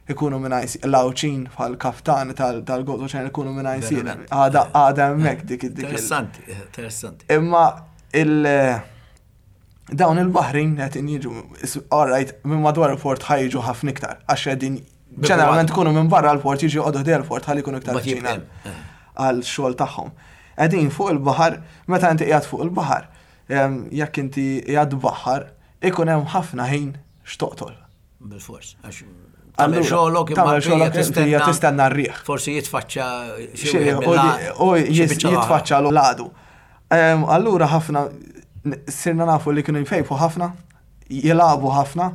ikunu minn l-Għawdxin bħal kaftan tal-Gozo Channel ikunu minn Għajnsielem. Għada għada hemmhekk dik dik. Interessanti, interessanti. Imma il dawn il-baħrin qed jiġu all right minn madwar il-port ħajġu ħafna iktar għax qegħdin ġeneralment ikunu minn barra l-port jiġu joqogħdu ħdejn il-port ħalli jkunu iktar viċin għal xogħol tagħhom. Qegħdin fuq il-baħar, meta inti qiegħed fuq il-baħar, jekk inti qiegħed baħar, ikun hemm ħafna ħin x'toqtol. Bil-fors, għax tagħmel xogħlok imma xogħlok tistenna tistenna r-riħ. Forsi jitfaċċa xi u jitfaċċa l-għadu. Allura ħafna sirna nafu li kienu jfejfu ħafna, jilagħbu ħafna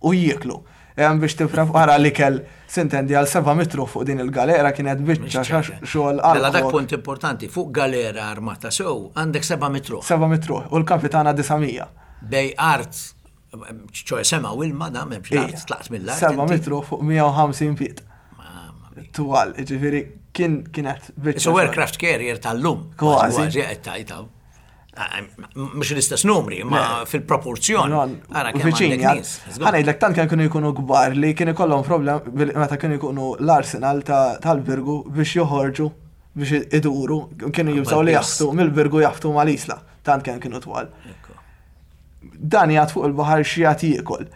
u jieklu. Biex tipprepara l-ikel sintendi għal 7 mitru fuq din il-galera kienet biċċa xogħol għal. Mela dak punt importanti, fuq galera armata sew għandek 7 mitru. 7 mitru u l-kapitana 900. Bej art ċoħe sema u ilma da memx l-art, tlaqt mill-art. 7 mitru fuq 150 feet. Twal, ġifiri, kien kienet biċċa. So aircraft carrier tal-lum. Kważi. Kważi qed tajtaw. Mhux l-istess numri, ma fil-proporzjon. Ara kemm għandek nies. Ħa ngħidlek tant kemm kienu jkunu kbar li kien ikollhom problem meta kienu jkunu l-arsenal tal-Birgu biex joħorġu biex iduru, kienu jibżgħu li jaħtu mill-Birgu jaħtu mal-Isla, tant kemm kienu twal. Dan jgħat fuq il-baħar x'jagħti jiekol.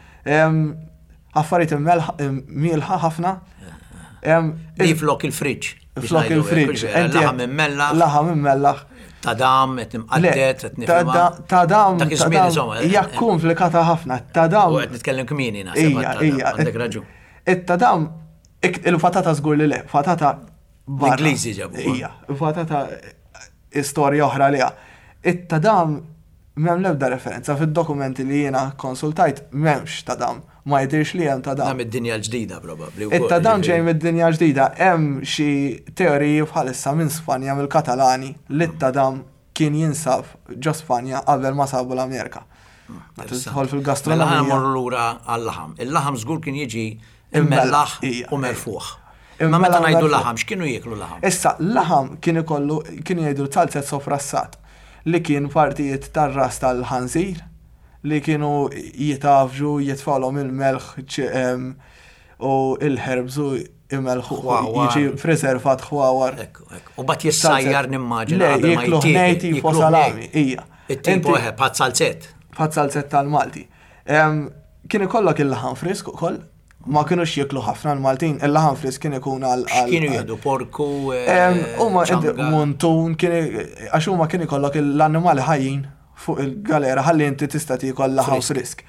Affarijiet mielħa ħafna. Di flok il-friġġ. Flok il-friġġ. Laħam immellaħ. Laħam immellaħ. Ta' dam, qed nimqadded, qed nifhimha. Ta' dam. Dak iż-żmien insomma. Hija komplikata ħafna. Ta' dam. U qed nitkellem kmieni naħseb. Ija, Għandek raġun. It-ta' dam, il-patata żgur li le, patata barra. L-Ingliżi ġabu. Ija, patata istorja oħra liha. It-tadam M'hemm l-ebda referenza fid-dokumenti li jiena kkonsultajt m'hemmx tadam. Ma jidhirx li hemm tadam. Dan mid-dinja l-ġdida probabbli wkoll. It-tadam ġej mid-dinja l-ġdida. Hemm xi teoriji bħalissa minn Spanja mill-Katalani li t-tadam kien jinsab ġo Spanja qabel ma sabu l-Amerika. Meta tidħol fil-gastronomija. Mela ħa mmorru lura għal-laħam. Il-laħam żgur kien jiġi Immellaħ u merfuħ. Imma meta ngħidu laħam, x'kienu jieklu laħam? Issa, laħam kien ikollu, kienu jgħidu zalzett soprassat, li kien partijiet tar-ras tal-ħanżir li kienu jitgħaffġu, jitfgħulhom il-melħ u l-herbs u jmelħuh, jiġi preservat ħwawar. Ekku, ekku. U mbagħad jissajjar nimmaġina. Le, jiekluh nej tipo salami, ija. It-tipo eħe, bħal zalzett. Bħal zalzett tal-Malti. Kien ikollok il-laħam frisk ukoll, ma kinux jieklu ħafna l-Maltin, il-laħam frisk kien ikun għal. X'kienu jieħdu porku? Huma muntun, kien għax huma kien ikollok l-annimali ħajjin fuq il-galera ħalli inti tista' tiekol laħam frisk.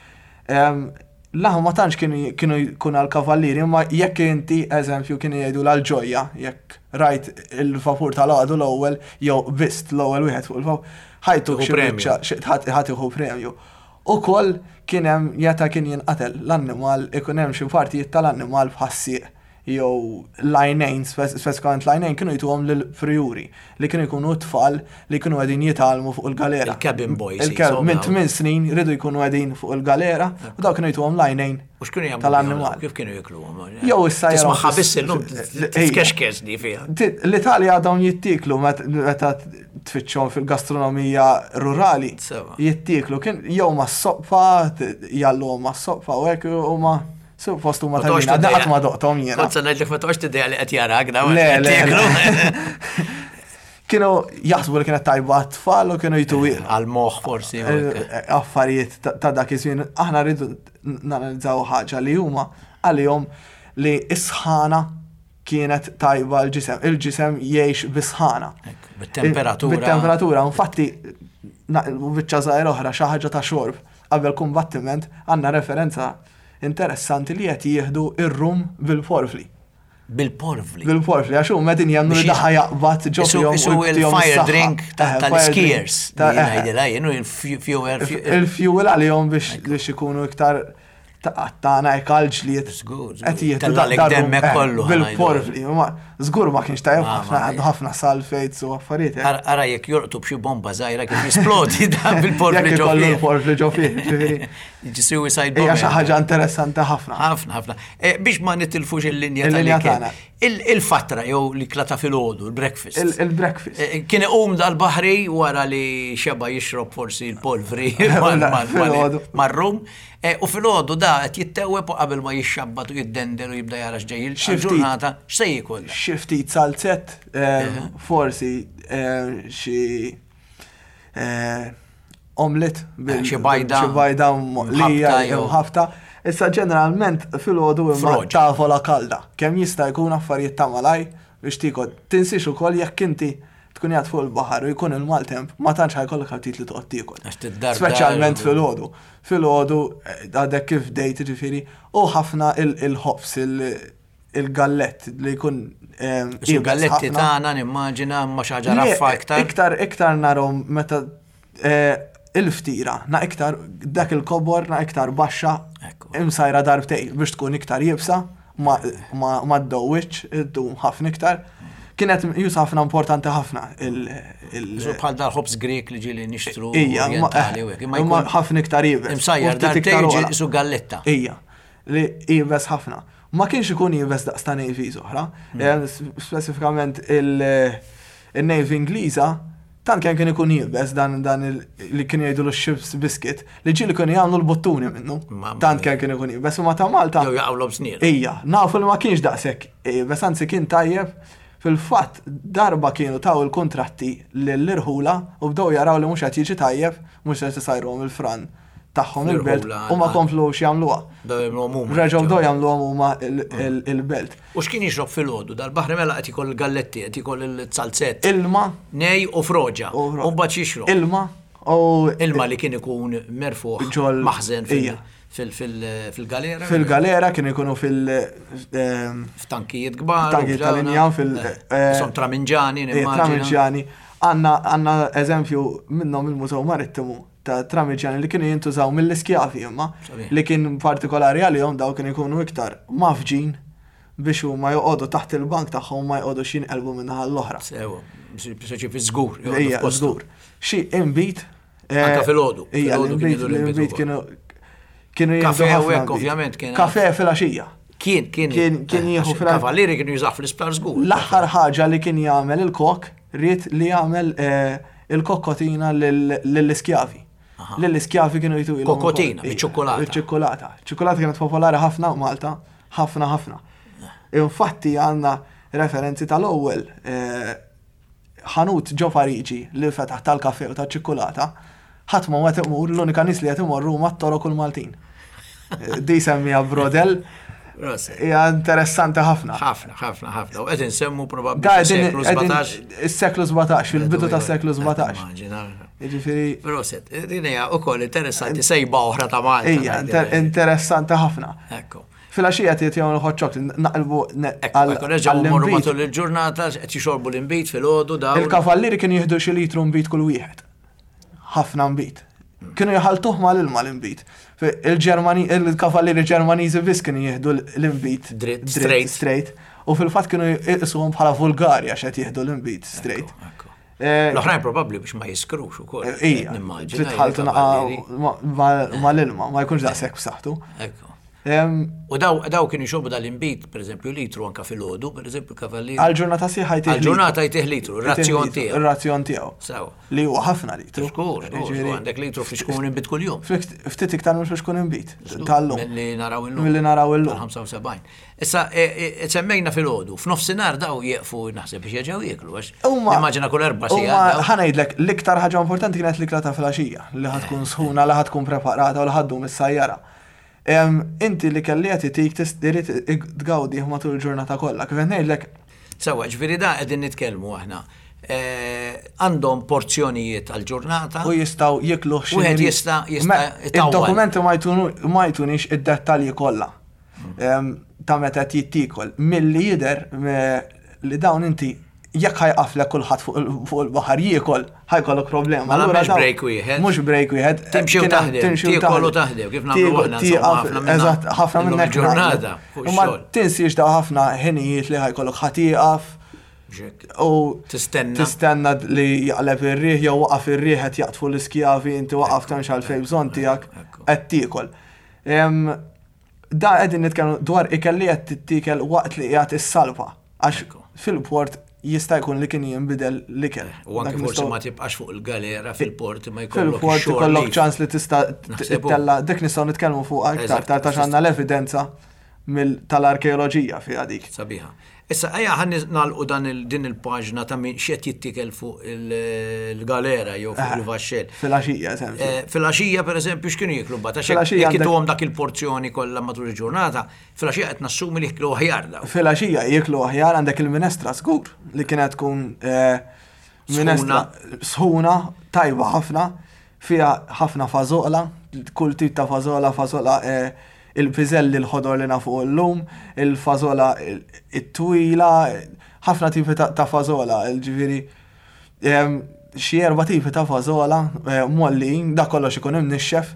Laħam ma tantx kienu jkun għal kavallieri, imma jekk inti, eżempju, kienu jgħidu l-ġojja, jekk rajt il-vapur tal-għadu l-ewwel jew bist l-ewwel wieħed fuq il-vapur, ħajtuk xi biċċa, ħa tieħu premju. Ukoll kien hemm meta kien jinqatel l-annimal ikun hemm xi partijiet tal-annimal bħas-sieq jew l-għajnejn, speċifikament l-għajnejn kienu jtuhom lill-prijuri li kienu jkunu t-tfal li kienu qegħdin jitgħallmu fuq il-galera. Il-cabin boys. Minn tmien snin riedu jkunu qegħdin fuq il-galera u dawk kienu jtuhom l-għajnejn U x'kienu jagħmlu tal-annimal. Kif kienu jikluhom? Jew issa Tismagħha biss illum tkexkex di fiha. L-Italja dawn jittieklu meta tfittxhom fil-gastronomija rurali. Jittieklu kien jew mas-soppa, jgħalluhom mas-soppa u hekk huma suppost huma tajbin. Għadni qatt ma doqthom jiena. Kont se ngħidlek ma toqgħodx tiddeja li qed jarak dawn. Le, le. Kienu jaħsbu li kienet tajba għat-tfal u kienu jtu Għal-moħħ forsi. Affarijiet ta' dak iż-żmien. Aħna rridu nanalizzaw ħaġa li huma għalihom li s-sħana kienet tajba l-ġisem. Il-ġisem jgħix bis-sħana. Bit-temperatura. Bit-temperatura. Infatti, biċċa żgħira oħra xi ħaġa ta' xorb qabel kumbattiment għandna referenza interessanti li qed jieħdu ir-rum bil-porfli. Bil-porvli. Bil-porvli, għax huma qegħdin jemmnu li daħa jaqbad ġo fihom. Isu il-fire drink tal-skiers. Ngħidilha jien il-fuel. Il-fuel għalihom biex ikunu iktar tagħna hekk għall-ġlied. Żgur. Qed jieħdu demmek kollu. Bil-porvli. Żgur ma kienx tajjeb ħafna għandu ħafna sulfates u affarijiet. Ara jekk jolqtu b'xi bomba żgħira kif jisplodi dan bil-porvli ġo fih. Il-porvli ġo fih. Suicide bomb. Hija xi ħaġa interessanti ħafna. Ħafna, ħafna. Eh, biex ma nitilfux il-linja Il-linja tagħna. Il-fatra jew l-ikla ta' filgħodu, il-breakfast. Il-breakfast. Eh, kien iqum dal-baħri wara li xeba jixrob forsi l-polvri mar-rum. Eh, u filgħodu da qed jittewweb u qabel ma jixxabbat u jiddendel u jibda jara x'ġej il-ġurnata, x'se jiekol? Xi ftit salzett, forsi xi omlet xi bajda. Xi bajda moqlija jew ħafta. Issa ġeneralment filgħodu imma tavola kalda. Kemm jista' jkun affarijiet ta' malaj biex tiekol. Tinsiex ukoll jekk inti tkun qiegħed fuq il-baħar u jkun il-maltemp, ma tantx ħa jkollok aptit li toqgħod tiekol. Speċjalment filgħodu. Filgħodu għadek kif bdejt jiġifieri u ħafna il-ħobż il-gallett li jkun Il-galletti tagħna nimmaġina ma xi ħaġa raffa iktar. Iktar iktar narhom meta eh, il-ftira, na iktar dak il-kobor na iktar baxxa imsajra darbtej biex tkun iktar jibsa ma ma ddowwiċ, iddum ħafna iktar. Kienet jus ħafna importanti ħafna il. Bħal dal-ħobż Grek li ġieli nixtru. Ija, imma ħafna iktar jibes. Imsajjar darbtej su galletta. Ija. li iebes ħafna. Ma kienx ikun iebes daqs ta' navies oħra. Hmm. Eh, speċifikament il-navy Ingliża Tant kemm kien ikun iebes dan dan li kienu jgħidulu x-ship's biscuit li ġieli kienu jagħmlu l-buttuni minnu. Tant kemm kien ikun iebes imma ta' Malta. Jew jaqgħulhom snienu. Ija, nafu li ma kienx daqshekk iebes, anzi kien tajjeb. Fil-fatt darba kienu taw il-kuntratti lill-irħula u bdew jaraw li mhux qed jiġi tajjeb, mhux qed isajruhom il-fran tagħhom il-belt u ma komplux jagħmluha. Reġgħu bdew jagħmluhom huma il-belt. U x'kien jixrob filgħodu dal-baħri mela qed jkoll il-galletti, qed jkoll il-zalzett. Ilma. Nej u froġa. U mbagħad jixrob. Ilma. U ilma li kien ikun merfuħ maħżen fil-galera. Fil-galera kien ikunu fil- F'tankijiet kbar. Tankijiet tal-injam fil- Som traminġani, Traminġani. Għandna eżempju minnhom il-Mużew Marittimu ta' tramiġjani li kienu jintużaw mill-iskjavi imma li kien partikolari għalihom daw kienu jkunu iktar mafġin biex huma joqogħdu taħt il-bank tagħhom ma joqogħdux jinqelbu minn naħa l-oħra. Sewa, biex fi żgur. Ija, żgur. Xi inbid. Eh, Anka filgħodu. Ija, l-inbid kienu kienu jieħdu ħafna. ovvjament kien. Kafe filgħaxija. Kien, kien. Kien, kien eh, jieħu fil Kavallieri kienu jużaw fl-isptar żgur. L-aħħar ħaġa li kien jagħmel il-kok ried li jagħmel eh, il-kokkotina lill-iskjavi. Lill-iskjavi kienu jtu Kokkotina, biċ-ċukkulata. Biċ-ċukkulata. Ċukkulata kienet popolari ħafna Malta, ħafna ħafna. Infatti għandna referenzi tal-ewwel eh, ħanut ġo Pariġi li fetaħ tal-kafe u tal-ċikkulata, ħadd ma qed imur, l-unika nies li qed imorru huma t-Torok u l-Maltin. Di semmija Brodel. Hija interessanti ħafna. Ħafna, ħafna, ħafna. U qed insemmu probabbli seklu 17. Is-seklu 17, fil-bidu tas-seklu 17. Jiġifieri. Proset, din hija wkoll interessanti sejba oħra ta' Malta. Hija interessanti ħafna. Ekku. Filgħaxija qed jagħmlu hot chocolate, naqilbu għal. Nerġgħu mmorru matul il-ġurnata qed jixorbu l-inbid filgħodu dawn. Il-kavallieri kienu jieħdu xi litru nbid kull wieħed. Ħafna nbid. Kienu jħaltuh mal-ilma l-inbid. Il-Ġermani, il-kavallieri Ġermaniżi biss kienu jieħdu l-inbid. Dritt, straight. Straight. U fil-fatt kienu jqisuhom bħala vulgari għax qed jieħdu l-inbid straight. L-oħrajn probabbli biex ma jiskrux ukoll. Ija, nimmaġina. Titħaltu mal-ilma, ma jkunx daqshekk b'saħħtu. Ekku. U daw kienu jxorbu dal-inbid, per eżempju, litru anka fil-ħodu, per eżempju, kavallieri. Għal-ġurnata sħiħa jtih. Għal-ġurnata jtih litru, razzjon tiegħu. Razzjon tiegħu. Sew. Li huwa ħafna litru. Żgur, żgur, għandek litru fi xkun inbid kuljum. Ftit iktar minn xkun inbid. Tal-lum. Milli naraw illum. Milli naraw illum. 75. Issa, e, e, semmejna fil-ħodu, f'nofsinhar daw jieqfu naħseb biex jerġgħu jieklu, għax immaġina kull erba' sigħat. Ħa ngħidlek, l-iktar ħaġa importanti kienet l-ikla ta' filgħaxija, li ħa tkun sħuna, li ħa tkun preparata u li ħa ddum is-sajjara. Inti l-ikel li qed itik irid tgawdih matul il-ġurnata kollha. Kif qed ngħidlek. Sewwa, ġifieri da qegħdin nitkellmu aħna. Għandhom porzjonijiet għall-ġurnata. U jistgħu jiekluh xi. Wieħed jista' jista' Id-dokumenti ma jtunix id-dettalji kollha. ta' meta qed jittiekol. Milli jidher li dawn inti jekk ħajqaflek kulħadd fuq il-baħar jiekol, ħajkollok problema. Mela mhux break wieħed. Mhux break wieħed. Timxi u taħdem, tiekol u taħdem, kif nagħmlu aħna Eżatt, ħafna minn hekk ġurnata. Ma tinsiex daw ħafna ħinijiet li ħajkollok ħa tieqaf. U tistenna. Tistenna li jaqleb ir-riħ jew waqaf ir-riħ qed jaqtfu l-iskjavi inti waqaf temmx għalfejn bżonn tiegħek qed tiekol. Da qegħdin nitkellmu dwar ikel li qed tittiekel waqt li qiegħed issalpa għax fil-port jista' jkun li kien jinbidel l-ikel. U anke forsi ma tibqax fuq il-galera fil-port ma jkollok Fil-port ikollok ċans li tista' ttella' dik nistgħu nitkellmu fuqha iktar tard għax għandna l-evidenza tal-arkeoloġija fiha dik. Sabiħa. Issa ejja ħa nagħlqu dan din il-paġna ta' min x'qed jittiekel fuq il-galera jew fuq il-vaxxell. Filgħaxija, eżempju. Filgħaxija pereżempju x'kienu jieklu mbagħad? Għax jekk ituhom dak il-porzjoni kollha matul il-ġurnata, filgħaxija qed nassumi li jieklu aħjar dawn. Filgħaxija jieklu aħjar għandek il-minestra żgur li kienet tkun minestra sħuna tajba ħafna Fiha ħafna fażola, kull tip ta' fażola, fażola il-piżelli l-ħodor li nafu llum, il-fażola it-twila, ħafna tipi ta' fażola, ġifieri xi erba' tipi ta' fażola mgħollijin, dak kollox ikun imnixxef.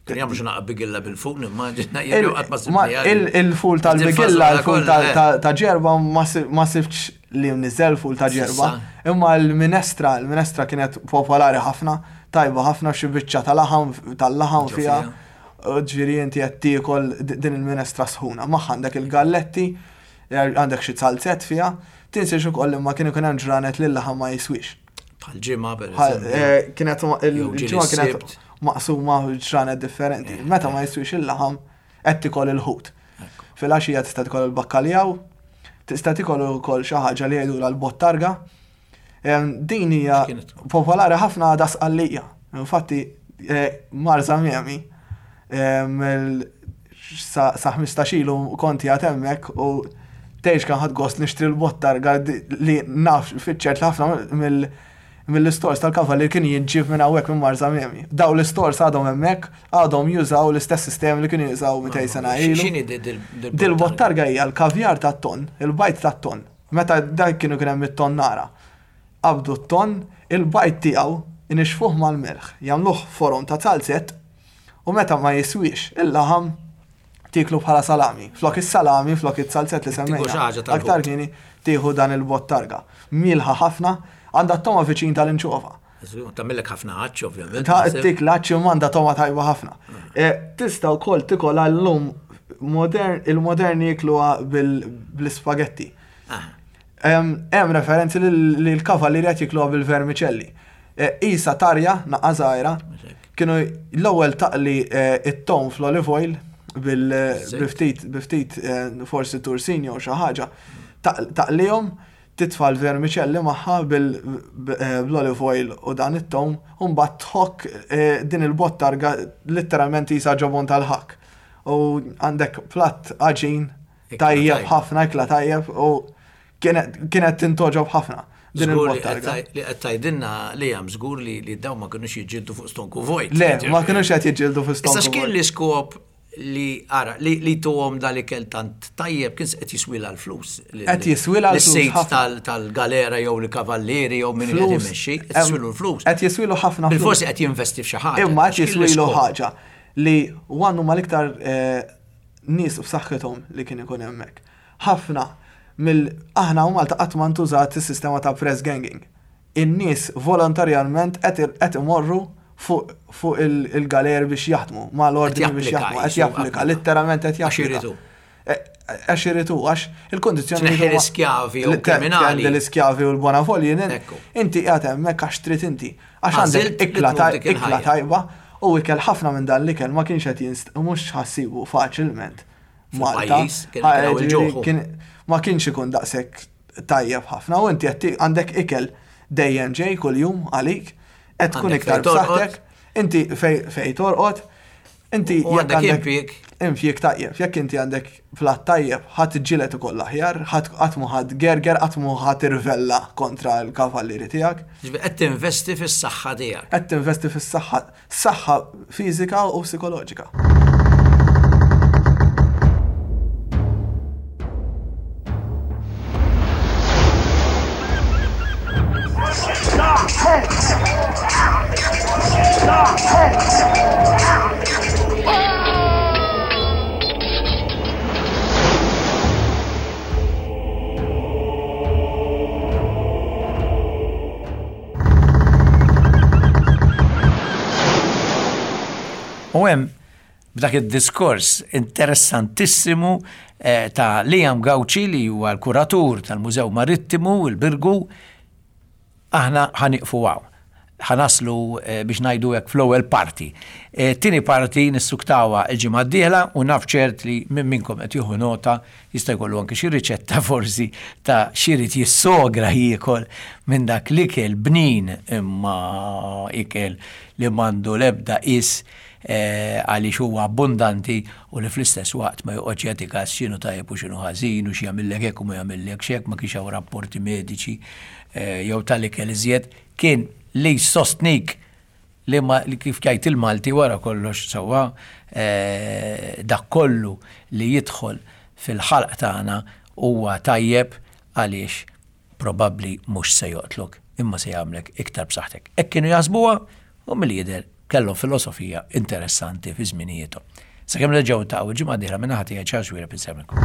Kien jagħmlu xi naqra bigilla bil-ful, nimmaġina jew qatt ma sibniha. Il-ful tal-bigilla, il-ful ta' ġerba ma sibtx li mniżżel ful ta' ġerba. Imma l-minestra, l-minestra kienet popolari ħafna, tajba ħafna xi biċċa ta' laħam tal-laħam fiha. Ġifieri inti qed tiekol din il-minestra sħuna. Magħha għandek il-galletti, għandek xi zalzett fiha. Tinsiex ukoll imma kien ikun hemm ġranet li l-laħam ma jiswiex. Bħal ġimgħa per eżempju. Eh, kienet il-ġimgħa kienet maqsuma ġranet differenti. Eh, Meta ma jiswix il-laħam qed tikol il-ħut. Filgħaxija tista' tikol il-bakkaljaw, tista' tikol ukoll xi ħaġa li jgħidulha l-bottarga. Din hija popolari ħafna għadha Sqallija. Infatti eh, Marza Miami sa 15 ilu konti għad hemmhekk u tgħix kan ħadd gost nixtri l-bottarga li naf fiċ-ċert ħafna mill mill-istores tal-kavallier kien jinġib minn hawnhekk minn Marza Miami. Daw l-istores għadhom hemmhekk, għadhom jużaw l-istess sistemi li kienu jużaw 200 sena ilu. X'inhi dil-bottarga hija l-kavjar tat-ton, il-bajd tat-ton. Meta dak kienu kien hemm it-tonnara. Qabdu t-tonn, il-bajd tiegħu inixxfuh mal-melħ, jagħmluh forom ta' zalzett u meta ma jiswiex il-laħam tieklu bħala salami. Flok is-salami, flok iz-zalzett li semmejna aktar kmieni, tieħu dan il-bottarga. Mielħa ħafna, għandha t-togħma viċin tal-inċova. Tagħmillek ħafna għatx ovvjament. Ta' tik l-għatx imma għandha togħma tajba ħafna. Eh, tista' wkoll tikolha llum modern, il-moderni jikluha bl-ispagetti. Ah. Hemm referenzi li l-kavallieri qed jikluha bil-vermiċelli. Eh, isa tarja, naqqa żgħira, kienu l-ewwel taqli eh, it-tom fl-olive oil bil-ftit biftit forsi tursin jew xi ħaġa, taqlihom titfa' l-vermiċelli magħha bl-olive oil u dan it-tewm u mbagħad tħokk din il-bottarga litteralment qisha ġobon tal-ħakk. U għandek platt għaġin tajjeb ħafna, ikla tajjeb u kienet tintogħġob ħafna din il-bottarga. Li qed tgħidilna li hemm żgur li dawn ma kinux jiġġieldu fuq stonku vojt. Le, ma kinux qed jiġġieldu fuq stonku vojt. Issa x'kien l-iskop li ara li li tuhom dal-ikel tant tajjeb kien qed jiswilha l-flus. Qed jiswilha l-flus. Is-sid tal-galera jew l-kavallieri jew min qed imexxi, qed jiswilu l-flus. Qed jiswilu ħafna flus. Bilforsi qed jinvesti f'xi ħaġa. Imma qed jiswilu ħaġa li one huma l-iktar eh, nies b'saħħithom li kien ikun hemmhekk. Ħafna mill aħna u Malta qatt ma ntużat is-sistema ta' press ganging. In-nies volontarjament qed imorru fuq il-galeri biex jaħdmu, ma l-ordni biex jaħdmu, qed japplika, letteralment qed japplika. Għax iridu. E, għax iridu, għax il-kondizzjoni. Tneħħi l-iskjavi u kriminali. L-iskjavi u l-bonavolji, inti qiegħed hemmhekk għax trid inti. Għax għandek ikla tajba u ikel ħafna minn dan l-ikel ma kienx qed jinst, mhux ħassibu faċilment. Malta. Ma kienx ikun daqshekk tajjeb ħafna u inti qed għandek ikel dejjem ġej kuljum għalik, qed tkun iktar b'saħħtek, inti fej torqod, inti jekk għandek impjieg. Impjieg tajjeb, jekk inti għandek platt tajjeb, ħadd ġilet ukoll aħjar, ħadd mu ħadd gerger, qatt mu ħadd irvella kontra l-kavallieri tiegħek. Qed tinvesti fis-saħħa tiegħek. Qed tinvesti fis-saħħa Saħħa fiżika u psikoloġika. U hemm b'dak id-diskors interessantissimu eh, ta' Liam Gauci li huwa l-kuratur tal-Mużew Marittimu il-Birgu aħna ħaniqfu hawn. Ħanaslu eh, biex ngħidu hekk fl-ewwel parti. Eh, tieni parti nissuktawha l-ġimgħa d-dieħla u naf ċert li minn minnkom qed jieħu nota Jista' jkollu anke xi riċetta forsi ta' x'irid jissogra jiekol minn dak l-ikel bnin imma ikel li m'għandu l-ebda qies eh, għaliex huwa abbundanti u li fl-istess waqt ma joqgħodx jagħti każ x'inhu tajjeb u x'inhu ħażin u x'jagħmillek hekk u ma jagħmillekx hekk, ma kienx hawn rapporti mediċi eh, jew tal-ikel iżjed, kien li jsostnik li ma li kif jgħid il-Malti wara kollox sewwa eh, dak kollu li jidħol fil-ħalq tagħna huwa tajjeb għaliex probabbli mhux se joqtlok imma se jagħmlek iktar b'saħħtek. Hekk kienu jaħsbuha u milli jidher kellhom filosofija interessanti fi żminijiethom. Sakemm nerġgħu niltaqgħu il-ġimgħa d-dieħla minn naħa tiegħi Charles Xuereb insellmilkom.